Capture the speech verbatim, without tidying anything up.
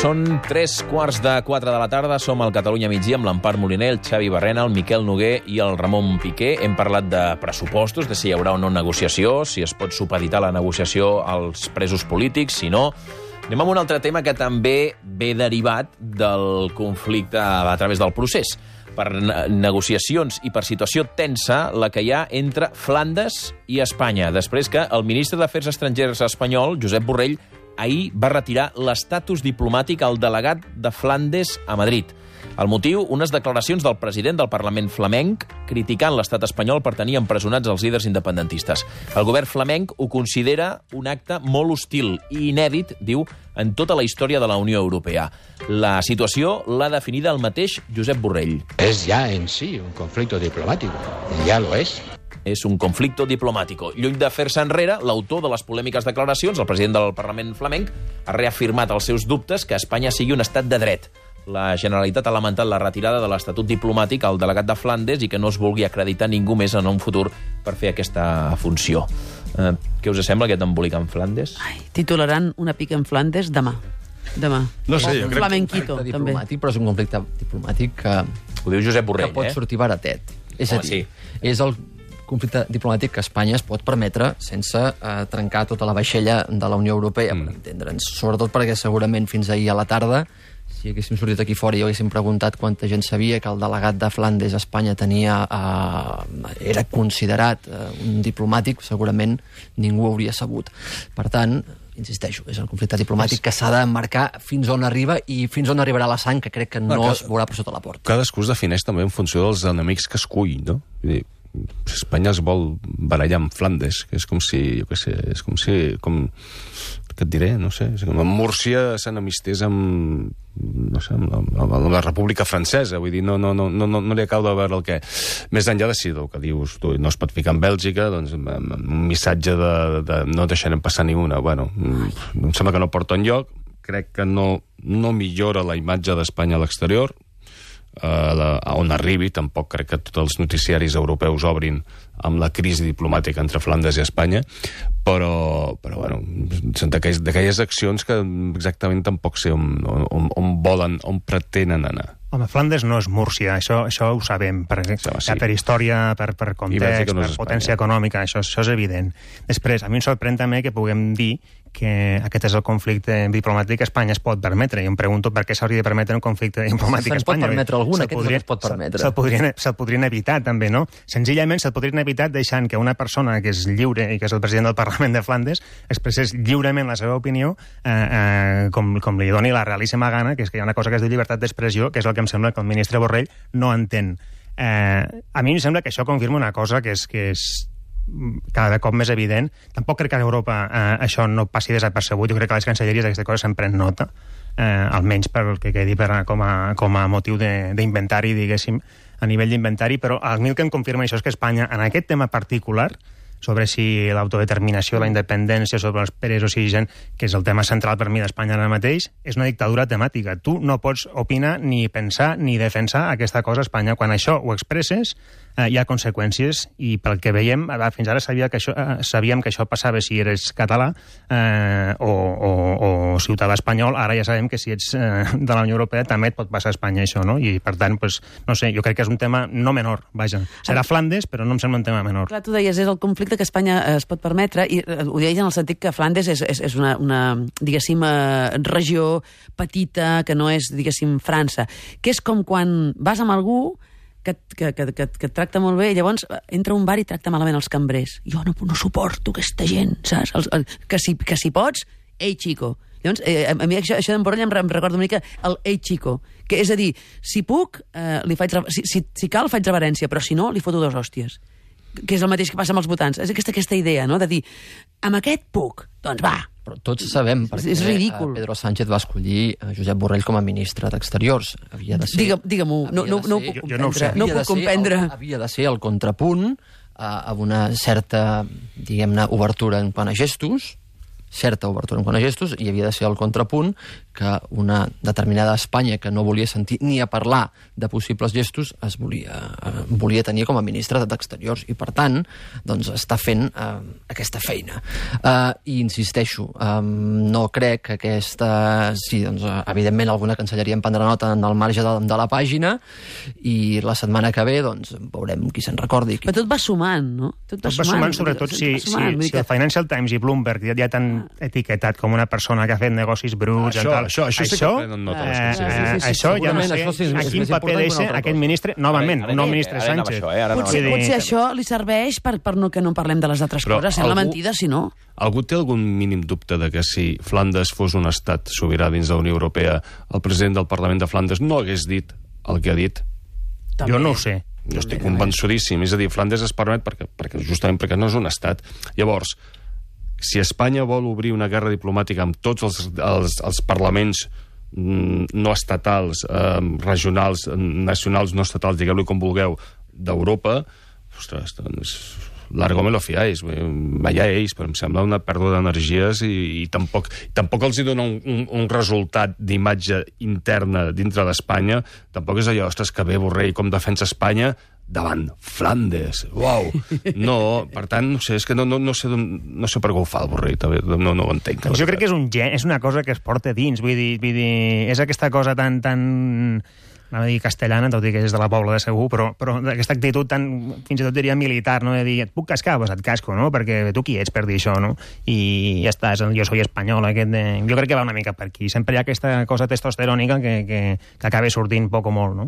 Són tres quarts de quatre de la tarda, som al Catalunya migdia amb l'Empar Moliner, el Xavi Barrena, el Miquel Noguer i el Ramon Piqué. Hem parlat de pressupostos, de si hi haurà o no negociació, si es pot supeditar la negociació als presos polítics, si no. Anem amb un altre tema que també ve derivat del conflicte a través del procés. Per negociacions i per situació tensa, la que hi ha entre Flandes i Espanya, després que el ministre d'Afers Estrangers espanyol, Josep Borrell, ahir va retirar l'estatus diplomàtic al delegat de Flandes a Madrid. El motiu, unes declaracions del president del Parlament flamenc criticant l'estat espanyol per tenir empresonats els líders independentistes. El govern flamenc ho considera un acte molt hostil i inèdit, diu, en tota la història de la Unió Europea. La situació l'ha definida el mateix Josep Borrell. Es ja en si un conflicte diplomàtic. Ja lo és. És un conflicte diplomàtic. Lluny de fer-se enrere, l'autor de les polèmiques declaracions, el president del Parlament flamenc, ha reafirmat els seus dubtes que Espanya sigui un estat de dret. La Generalitat ha lamentat la retirada de l'estatut diplomàtic al delegat de Flandes i que no es vulgui acreditar ningú més en un futur per fer aquesta funció. Eh, què us sembla aquest embolic en Flandes? Ai, titularan una pica en Flandes demà. Demà. No sé, jo crec Flamenquito, que... també. Però és un conflicte diplomàtic que... Ho diu Josep Borrell, que pot eh? sortir baratet. És a Home, dir, sí. és el conflicte diplomàtic que Espanya es pot permetre sense eh, trencar tota la vaixella de la Unió Europea, mm. per entendre'ns. Sobretot perquè segurament fins ahir a la tarda, si haguéssim sortit aquí fora i haguéssim preguntat quanta gent sabia que el delegat de Flandes a Espanya tenia, eh, era considerat eh, un diplomàtic, segurament ningú hauria sabut. Per tant, insisteixo, és el conflicte diplomàtic que s'ha de marcar fins on arriba i fins on arribarà la sang, que crec que no, no que, es veurà per sota la porta. Cadascú es defineix també en funció dels enemics que escull, no? Vull dir, Espanya es vol barallar amb Flandes, que és com si, jo què sé, és com si, com, què et diré, no sé, és com amb Múrcia s'enemistés amb, no sé, amb la, amb la República Francesa, vull dir, no, no, no, no, no li acabo de veure el que... Més enllà de si el que dius tu no es pot ficar en Bèlgica, doncs un missatge de, de no deixarem passar ni una, bueno, em sembla que no porta enlloc, crec que no, no millora la imatge d'Espanya a l'exterior, a, la, a on arribi, tampoc crec que tots els noticiaris europeus obrin amb la crisi diplomàtica entre Flandes i Espanya, però, però bueno, són d'aquelles accions que exactament tampoc sé on, on, on volen, on pretenen anar. Home, Flandes no és Múrcia, això, això ho sabem, per, sí, sí. per història, per, per context, no per potència econòmica, això, això és evident. Després, a mi em sorprèn també que puguem dir que aquest és el conflicte diplomàtic que Espanya es pot permetre. I em pregunto per què s'hauria de permetre un conflicte diplomàtic a Espanya. Se'n pot permetre algun, aquest podria, no es pot permetre. Se'l podrien, se podrien evitar, també, no? Senzillament se'l podrien evitar deixant que una persona que és lliure i que és el president del Parlament de Flandes expressés lliurement la seva opinió eh, eh, com, com li doni la realíssima gana, que és que hi ha una cosa que es diu llibertat d'expressió, que és el que em sembla que el ministre Borrell no entén. Eh, a mi em sembla que això confirma una cosa que és, que és cada cop més evident. Tampoc crec que a Europa eh, això no passi desapercebut. Jo crec que les cancelleries d'aquestes coses se'n pren nota, eh, almenys per el que quedi per, com, a, com a motiu d'inventari, diguéssim, a nivell d'inventari, però a mi el que em confirma això és que Espanya, en aquest tema particular, sobre si l'autodeterminació, la independència, sobre els presos i gent, que és el tema central per mi d'Espanya ara mateix, és una dictadura temàtica. Tu no pots opinar, ni pensar, ni defensar aquesta cosa a Espanya. Quan això ho expresses, eh, hi ha conseqüències, i pel que veiem, fins ara sabia que això, eh, sabíem que això passava si eres català eh, o, o, o ciutadà espanyol. Ara ja sabem que si ets eh, de la Unió Europea també et pot passar a Espanya això, no? I per tant, pues, no sé, jo crec que és un tema no menor, vaja. Serà Flandes, però no em sembla un tema menor. Clar, tu deies, és el conflicte que Espanya es pot permetre, i ho deies en el sentit que Flandes és, és, és una, una, diguéssim, regió petita, que no és, diguéssim, França, que és com quan vas amb algú que, que, que, que, que et tracta molt bé, i llavors entra a un bar i tracta malament els cambrers. Jo no, no suporto aquesta gent, saps? El, el, que, si, que si pots, ei, chico. Llavors, eh, a mi això, això d'en Borrell em, em recorda una mica el ei, chico, que és a dir, si puc, eh, li faig, si, si, si cal, faig reverència, però si no, li foto dos hòsties. Que és el mateix que passa amb els votants. És aquesta, aquesta idea, no?, de dir, amb aquest puc, doncs va. Però tots sabem perquè és ridícul. Pedro Sánchez va escollir Josep Borrell com a ministre d'Exteriors. Havia de ser... Digue, Digue-m'ho, no, no, no ho puc comprendre. Jo, jo no, no ho puc comprendre. El, havia de ser el contrapunt a, a una certa, diguem-ne, obertura en quant a gestos, certa obertura en quant a gestos, i havia de ser el contrapunt que una determinada Espanya que no volia sentir ni a parlar de possibles gestos es volia, eh, volia tenir com a ministre d'Exteriors, i per tant doncs, està fent eh, aquesta feina. Eh, I insisteixo, eh, no crec que aquesta... Sí, doncs, evidentment alguna cancelleria en prendrà nota en el marge de, de la pàgina, i la setmana que ve doncs, veurem qui se'n recordi. Però tot va sumant, no? Tot va, tot va sumant, sobretot si, sumant, si, si el Financial Times i Bloomberg ja, ja t'han etiquetat com una persona que ha fet negocis bruts... Això, tal. això, això, això sí que prenen nota. Eh, eh, sí, sí, sí, això ja no sé sí, a quin paper deixa aquest ministre, novament, un nou ministre Sánchez. Això, eh? Potser, potser això li serveix per, per no, que no parlem de les altres Però coses. Sembla algú- mentida, si no. Algú té algun mínim dubte de que si Flandes fos un estat sobirà dins de la Unió Europea, el president del Parlament de Flandes no hagués dit el que ha dit? Jo no ho sé. Jo estic convençudíssim. És a dir, Flandes es permet perquè, perquè justament perquè no és un estat. Llavors, si Espanya vol obrir una guerra diplomàtica amb tots els, els, els parlaments mm, no estatals, eh, regionals, nacionals, no estatals, digueu-li com vulgueu, d'Europa, ostres, doncs... Largo me lo fiáis, vaya ells, però em sembla una pèrdua d'energies i, i tampoc, tampoc els hi dona un, un, un resultat d'imatge interna dintre d'Espanya. Tampoc és allò, ostres, que bé Borrell com defensa Espanya davant Flandes. Uau! No, per tant, no sé, és que no, no, no, sé, no sé per què ho fa el Borrell, també, no, no ho entenc. Jo crec que és, un gen, és una cosa que es porta dins, vull dir, vull dir és aquesta cosa tan... tan anava a dir castellana, tot i que és de la Pobla de Segur, però, però aquesta actitud tan, fins i tot diria militar, no? De dir, et puc cascar? Doncs et casco, no? Perquè tu qui ets per dir això, no? I ja està, jo soy espanyol, aquest de... Jo crec que va una mica per aquí. Sempre hi ha aquesta cosa testosterònica que, que, que acaba sortint poc o molt, no?